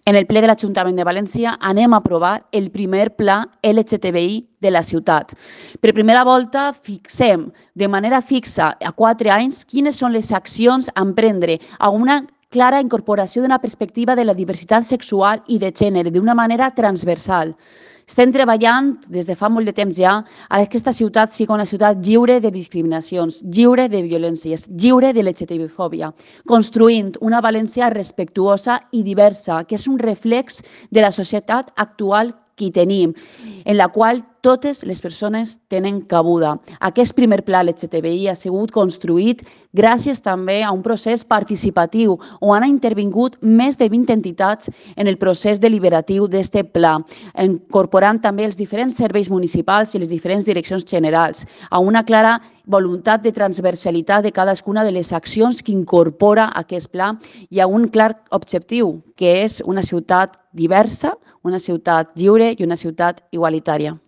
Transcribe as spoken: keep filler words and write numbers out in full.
En el ple de l'Ajuntament de València anem a aprovar el primer pla L G T B I de la ciutat. Per primera volta fixem de manera fixa a quatre anys quines són les accions a emprendre a una clara incorporació d'una perspectiva de la diversitat sexual i de gènere d'una manera transversal. Estem treballant des de fa molt de temps ja a que aquesta ciutat sigui una ciutat lliure de discriminacions, lliure de violències, lliure de L G T B fòbia, construint una València respectuosa i diversa, que és un reflex de la societat actual que tenim, en la qual totes les persones tenen cabuda. Aquest primer pla L G T B I ha sigut construït gràcies també a un procés participatiu on han intervingut més de vint entitats en el procés deliberatiu d'aquest pla, incorporant també els diferents serveis municipals i les diferents direccions generals, a una clara voluntat de transversalitat de cadascuna de les accions que incorpora aquest pla i a un clar objectiu, que és una ciutat diversa, una ciutat lliure i una ciutat igualitària.